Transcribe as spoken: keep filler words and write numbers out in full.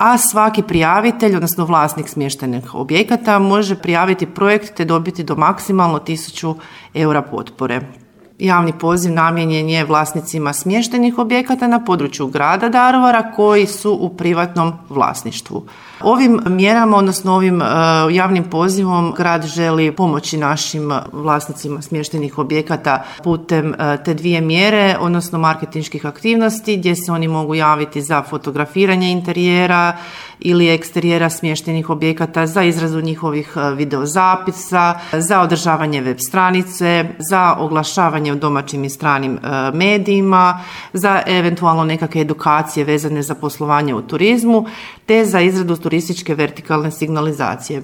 a svaki prijavitelj, odnosno vlasnik smještajnih objekata, može prijaviti projekt te dobiti do maksimalno tisuću eura potpore. Javni poziv namijenjen je vlasnicima smještajnih objekata na području grada Daruvara koji su u privatnom vlasništvu. Ovim mjerama, odnosno ovim uh, javnim pozivom, grad želi pomoći našim vlasnicima smještajnih objekata putem uh, te dvije mjere, odnosno marketinških aktivnosti gdje se oni mogu javiti za fotografiranje interijera ili eksterijera smještajnih objekata, za izradu njihovih uh, videozapisa, za održavanje web stranice, za oglašavanje u domaćim i stranim uh, medijima, za eventualno nekakve edukacije vezane za poslovanje u turizmu, te za izradu turističke vertikalne signalizacije.